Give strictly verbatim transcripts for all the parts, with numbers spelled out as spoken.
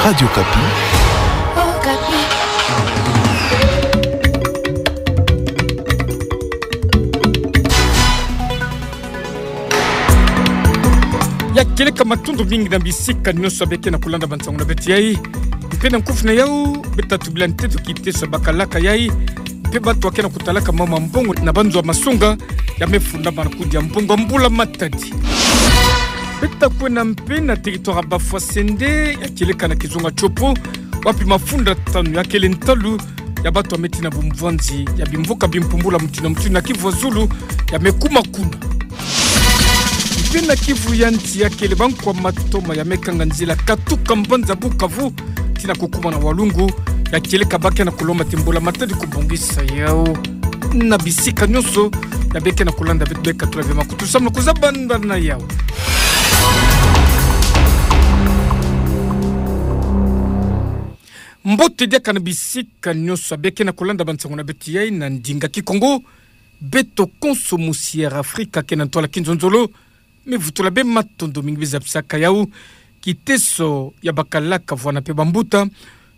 Radio Okapi. Ya kieleka, matondo mingi na bisika nyonso beke na kulanda bansango na beto yai. Mpe na nkufi na yau, beta tubila nteto kiteso ya bakalaka yai. Mpe bato yake na kutalaka mambu ya mbongo na banzo ya masonga, ya mefundamana kudia mbongo ya mbula matadi. Beta kwenda mpe na territoire ya Bafwasende, ya kieleka na kizunga Tshopo, wapi mafunda tanu ya kele ntalu ya bato ya meti na bumvwanzi ya bimvuka bimpumbulu ya mutinu na mutinu na Kivu ya Zulu, ya mekuma kuna. Mpe na Kivu ya Nsi ya kele bankwa matoma ya mekanga nzila katuka mbanza Bukavu tii na kukuma na Walungu, ya kieleka bake na kulomba ti mbula matadi kubongisa yau. Na bisika nyonso ya beke na kulanda beto, beka tula bie makutu samu na kuzabanda na yau. Mbote diaka na bisika nyonso ya beke na kulanda bansango na beto yai na ndinga Kikongo. Beto konso musi Air Afrika ke na ntwala kinzonzolo, mevutula bie matondo mingi, bizapisaka yau. Kiteso ya bakalaka vwanda mpe bambuta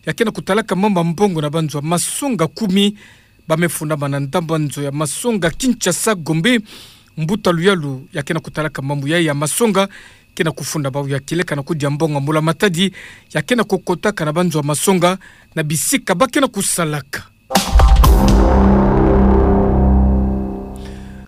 yake na kutalaka mambu ya mbongo na banzo ya masonga kumi, ba mefundamana na ndambu ya nzo ya masonga Kinshasa Gombe. Mbuta Luyalu yake na kutalaka mambu yai ya masonga ke na kufunda bau, ya kieleka na kudia mbongo ya mbula matadi, yake na kukotaka na banzo ya masonga na bisika bake na kusalaka.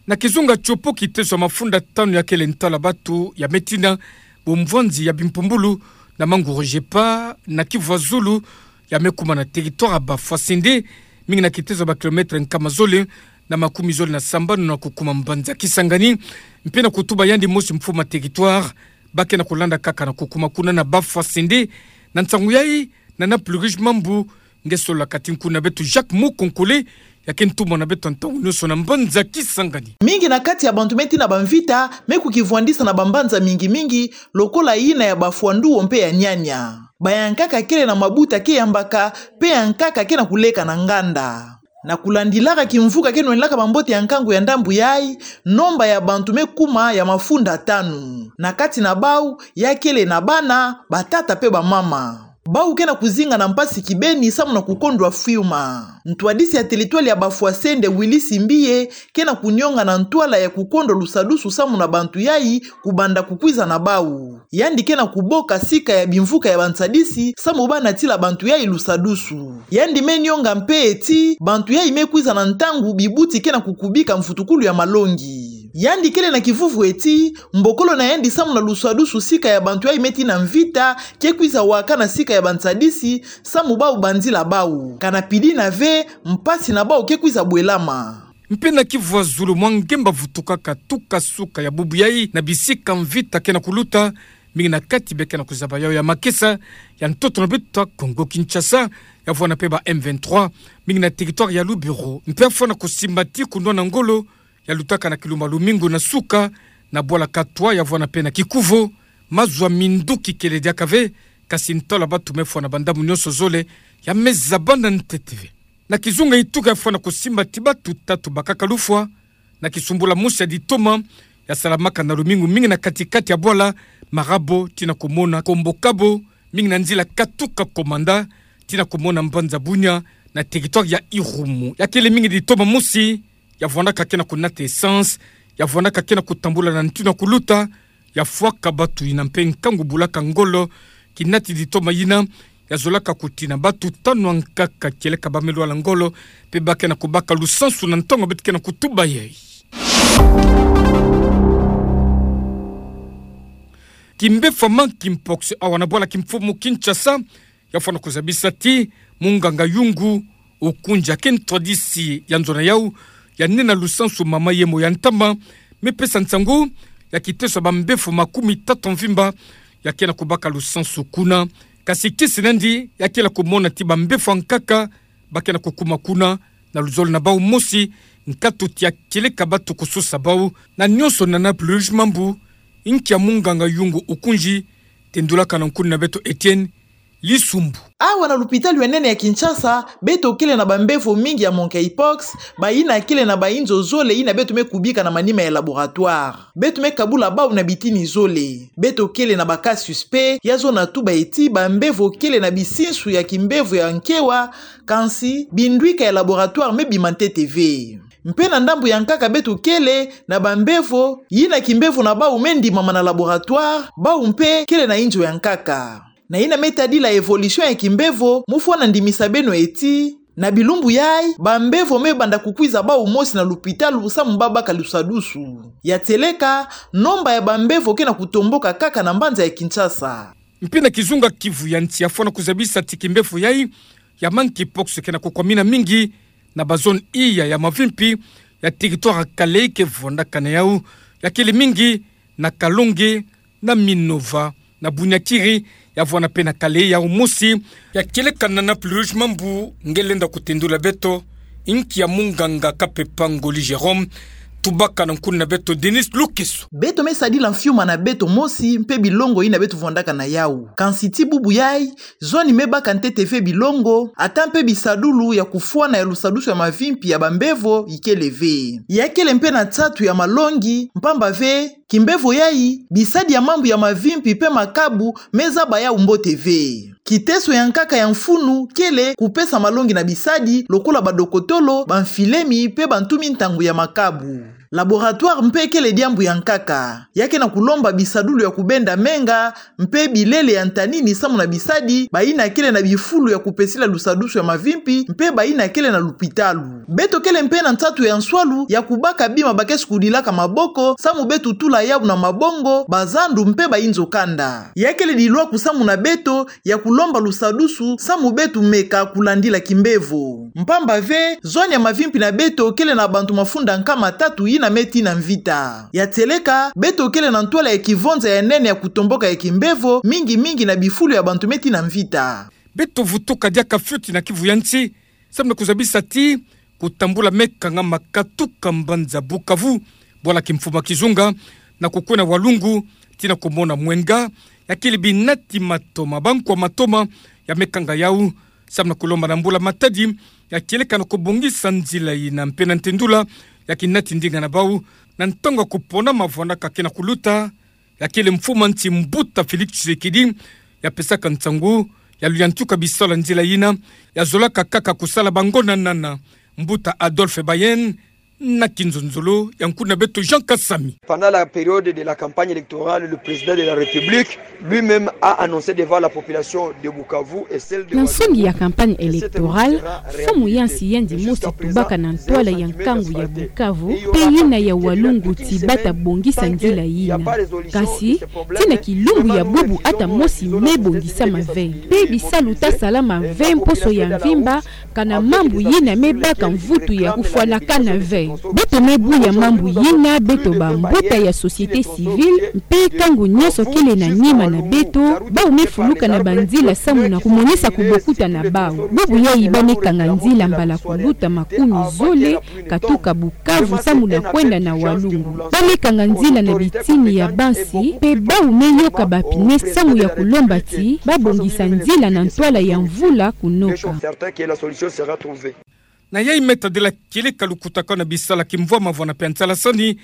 Na kizunga Tshopo, kiteso ya mafunda tanu ya kele ntwala bato ya meti na bumvwanzi ya bimpumbulu na manguru GEPA na Kivu ya Zulu, ya mekuma na territoire ya Bafwasende, mingi na kiteso ya ba kilomètre nkama zole na makumi zole na sambanu na kukuma mbanza Kisangani, mpe na kutuba yandi mosi mfumu ya territoire, bake na kulanda kaka na kukuma kuna na Bafwasende. Na nsangu yai, Nana Plurish Mambu, nge solola kati nkuna na beto Jacques Mukonkole, yake ntumwa na beto ya ntangu nyonso na mbanza Kisangani. Mingi na kati ya bantu meti na bamvita mekukivwandisa na bambanza mingi mingi, lokola yina ya Bafwanduo mpe ya Nyanya. Bayankaka kele na mabuta ke yambaka, mpe yankaka ke na kuleka na nganda. Na kulandilaka kimvuka ke nwendilaka bambote ya nkangu ya ndambu yai, nomba ya bantu mekuma ya mafunda tanu. Na kati na bau, ya kele na bana, batata mpe bamama. Bau ke na kuzinga na mpasi kibeni samu na kukondwa fiuma. Ntwadisi ya territoire ya Bafwasende, Willy Simbiye, ke na kunionga na ntwala ya kukondwa lusadusu samu na bantu yai kubanda kukwiza na bau. Yandi ke na kuboka sika ya bimvuka ya bansadisi samu ba natila bantu yai lusadusu. Yandi menionga mpe ti bantu yai mekwiza na ntangu bibuti ke na kukubika mvutukulu ya malongi. Yandi kele na kivuvu ti mbokolo na yandi samu na lusadusu sika ya bantu yai meti na mvita ke kwiza wakana sika ya bansadisi samu bau banzila bau. Kana pidina ve, mpasi na bau ke kwiza bwelama. Mpe na Kivu ya Zulu, mwa ngemba vutukaka tuka suka ya bubu yai na bisika mvita ke na kuluta, mingi na kati beke na kuzaba yau ya makesa ya ntoto na beto ya Kongo Kinshasa, ya vwanda mpe ba M vingt-trois, mingi na territoire ya Lubero. Mpe ya fwana kusimba ti kunwana ngolo, ya lutaka na kilumba lumingu na suka, na bwala Katwa, ya vwanda mpe na Kikuuvo, mazu ya minduki kele diaka ve, kasi ntwala batu mefwa na bandamu nyonso zole, ya mezabana ntete ve. Na kizunga Ituka, ya fwana kusimba ti batu tatu bakaka lufwa na kisumbula mosi ya ditoma ya salamaka na lumingu mingi na kati-kati ya bwala Marabo, tii na kumona Kombo Kabo, mingi na nzila katuka Komanda, tii na kumona mbanza Bunia, na territoire ya Irumu. Ya kele mingi ditoma mosi, ya vwandaka ke na kunata essence, ya vwandaka ke na kutambula na ntu na kuluta, ya fwaka batu yina mpe nkangu bulaka ngolo, kinati ditoma yina, ya zolaka kutina batu tanu ankaka kieleka ba melwala ngolo, mpe ba ke na kubaka lusansu na ntangu beto ke na kutuba yai. Kimbefwa monkeypox awa na bwala kimfumu Kinshasa, ya fwana kuzabisa ti munganga Yungu Okunja, ke ntwadisi ya nzo na yau, ya nena lusansu mama yemo ya ntama, mepesa nsangu ya kiteso ya bambefwa makumi tatu mvimba, ya ke na kubaka lusansu kuna. Kasi kisi nandi, ya kele kumona ti bambefwa ankaka ba ke na kukuma kuna, na luzolo na bau mosi, nkatu ti ya kieleka batu kusosa bau, na nyonso Nana Plurish Mambu, nki ya munganga Yungu Okunja, tendulaka na nkuni na beto Etienne, Lisumbu. Awa na lupitalu ya nene ya Kinshasa, beto kele na bambevo mingi ya monkeypox, bayina kele na bainzo zole yina beto me kubika na manima ya laboratoire. Beto me kabula bau na bitini zole. Beto kele na ba cas suspect, ya zona tuba eti bambevo kele na bisinsu ya kimbevo ya nkewa, kansi bindwika ya laboratoire me bima ntete ve. Mpe na ndambu ya nkaka beto kele na bambevo yina kimbevo na bau me ndimama na laboratoire, bau mpe kele na inzo ya nkaka. Na yina me tadila évolution ya kimbevo, mu fwana ndimisa beno eti, na bilumbu yai, bambevo me banda kukwiza bau mosi na lupitalu samu babaka lusadusu. Ya tieleka, nomba ya bambevo ke na kutomboka kaka na mbanza ya Kinshasa. Mpe na kizunga Kivu ya nsi ya fwana kuzabisa ti kimbevo yai ya monkeypox ke na kukwamina mingi na bazone iya ya mavimpi ya territoire ya Kalehe ke vwandakana yau, ya kele mingi na Kalonge, na Minova, na Bunyakiri, ya vwana mpe na Kalehe yau mosi. Ya kieleka na Naples Rouge, mambu nge lenda kutendula beto, inki ya munganga Kapepa Ngoli Jérôme, tubaka na nkuna na beto Denis Lukeso. Beto me sadila mfiuma na beto mosi mpe bilongo yina beto vwandaka na yau. Kansi ti bubu yai, zoni me baka ntete ve bilongo, ata mpe bisadulu ya kufwana ya lusadusu ya mavimpi ya bambevo ikele ve. Ya kele mpe na nsatu ya malongi, mpamba ve, kimbevo yai, bisadi ya mambu ya mavimpi mpe makabu me zaba yau mbote ve. Kiteso ya nkaka ya mfunu kele kupesa malongi na bisadi lokola badokotolo, bamfilemi mpe bantu mintangu ya makabu. Laboratoire mpe kele diambu ya nkaka. Ya ke na kulomba bisadulu ya kubenda menga, mpe bilele ya ntanini samu na bisadi bayina kele na bifulu ya kupesila lusadusu ya mavimpi, mpe bayina kele na lupitalu. Beto kele mpe na nsatu ya nswalu ya kubaka bima ba ke sukudilaka maboko, samu beto tula yau na mabongo, bazandu mpe bainzo kanda. Ya kele dilwaku samu na beto ya kulomba lusadusu, samu beto meka kulandila kimbevo. Mpamba ve, zoni ya mavimpi na beto kele na bantu mafunda nkama tatu yina me tina mvita. Ya tieleka, beto kele na ntwala ya kivonza ya nene ya kutomboka ya kimbevo, mingi mingi na bifulu ya bantu me tina mvita. Beto vutuka diaka fioti na Kivu ya nsi, samu na kuzabisa ti kutambula me kangama katuka mbanza Bukavu, bwala kimfumu ya kizunga, na kukwenda Walungu, tii na kumona Mwenga, ya kele binati matoma, bankwa matoma, ya me kanga yau, samu na kulomba na Mbula Matadi, ya kieleka na kubongisa nzila yina mpe na ntendula, ya kinati ndinga na bau, na ntangu ya kupona mavwandaka ke na kuluta, ya kele mfumu ya nsi Mbuta Félix Tshisekedi, ya pesaka nsangu, ya luyantika bisalu ya nzila yina, ya zolaka kaka kusala bango na nana, Mbuta Adolphe Bayen, na kinzonzolo ya nkuna beto Jean Kasami. Pendant la période de la campagne électorale, le président de la République lui-même a annoncé devant la population de Bukavu et celle de Walungu. Na nsongi ya campagne électorale, mfumu ya nsi yandi mosi tubaka na ntwala ya nkangu ya Bukavu, mpe yina ya Walungu ti bata bongisa nzila yina. Kasi, tii na kilumbu ya bubu ata mosi me bongisama ve. Mpe bisalu ta salama ve mposo ya mvimba, kana mambu yina me baka mvutu ya kufwanakana ve. Beto me buya mambu yina, beto bambuta ya société civile, mpe nkangu nyonso kele na nima na beto, bau me fuluka na banzila samu na kumonisa kubokuta na bau. Bubu yai ba me kanga nzila mbala kuluta makumi zole, katuka Bukavu samu na kwenda na Walungu. Ba me kanga nzila na bitini ya bansi, mpe bau me yoka ba pneu samu ya kulomba ti ba bongisa nzila na ntwala ya mvula kunoka. Na yai me tadila kieleka lukutakanu na bisalu ya kimvwama vwana mpe ya nsalasani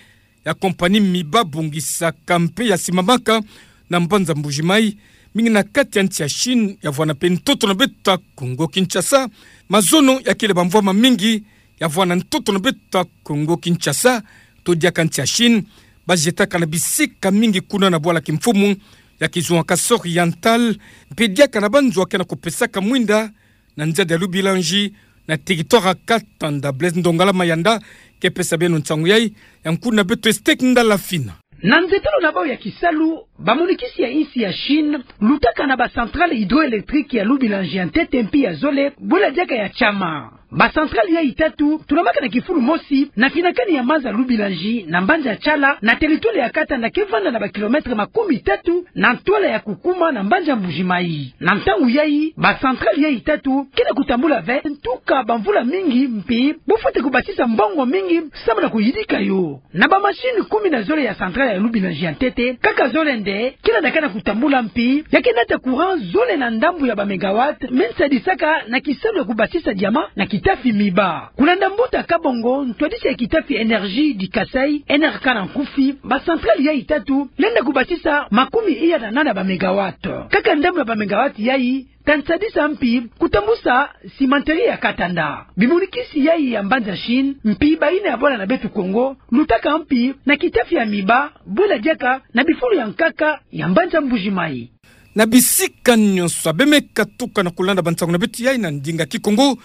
ya compagnie Miba bongisaka mpe ya simamaka na mbanza Mbuji-Mayi, mingi na kati ya nsi ya Chine, ya vwana mpe ntoto na beto ya Kongo Kinshasa. Mazono ya kele bamvwama mingi ya vwana ntoto na beto ya Kongo Kinshasa, to diaka nsi ya Chine, ba jetaka na bisika mingi kuna na bwala kimfumu ya Kizunga Kasaï Oriental, mpe diaka na banzo ya ke na kupesaka mwinda na nzadi ya Lubilanji, na territoire ya Katanda. Blaise Ndongala Mayanda ke pesa beno nsangu yai, ya nkuna beto Estek Ndalafina. Na nzetelo na bau ya kisalu, bamonikisi ya insi ya Chine lutaka na ba centrale hydroélectrique ya Lubilanji ya ntete mpi ya zole, bwela diaka ya chama. Ba centrale yayi tatu tulamaka na kifulu mosi na finakani ya maza Lubumbashi na mbanza Tshala, na territoire ya Katanda ke vanda na ba kilomètre makumi tatu na ntwala ya kukuma na mbanza Mbuji-Mayi. Na ntangu yayi, ba centrale yayi tatu ke na kutambula ve ntuka bamvula mingi, mpi bufwete kubasisa mbongo mingi samu na kuyidika yo. Na ba machine kumi na zole ya centrale ya Lubumbashi ya ntete, kaka zole nde ke landaka na kutambula, mpi ya ke nata courant zole na ndambu ya ba mégawatt me nsadisaka na kisalu ya kubasisa diamant na kitafi miba. Kulanda mbuta Kabongo, ntwadisi ya kitafi Énergie du Kasaï, N R K na nkufi, ba centrale yayi tatu lenda kubasisa makumi iya na nana ba mégawatt. Kaka ndambu ya ba mégawatt yayi ta nsadisa mpi kutambusa cimenterie ya Katanda. Bimonikisi yayi ya mbanza Chine, mpi bayina ya bwala na beto Kongo, lutaka mpi na kitafi ya miba, bwela diaka na bifulu ya nkaka ya mbanza Mbuji-Mayi. Na bisika nyonso abe me katuka na kulanda bansangu na beto yayi na ndinga Kikongo,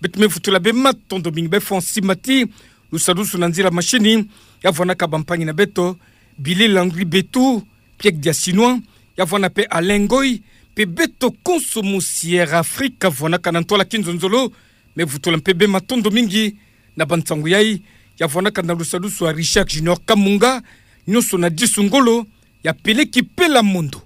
beto me vutula be matondo mingi be Francis Mati, lusadusu na nzila machine, ya vwanaka bampangi na beto, Billy Landry Betu, Pierre Diasinois, ya vwana pe Alain Ngoy, pe beto konso musi Air Afrique vwanaka na ntwala kinzonzolo, me vutula mpe be matondo mingi na bansangu yayi, ya vwanaka na lusadusu ya Richard Junior Kamunga, nyonso na disu ngolo, ya peleki pela mondo.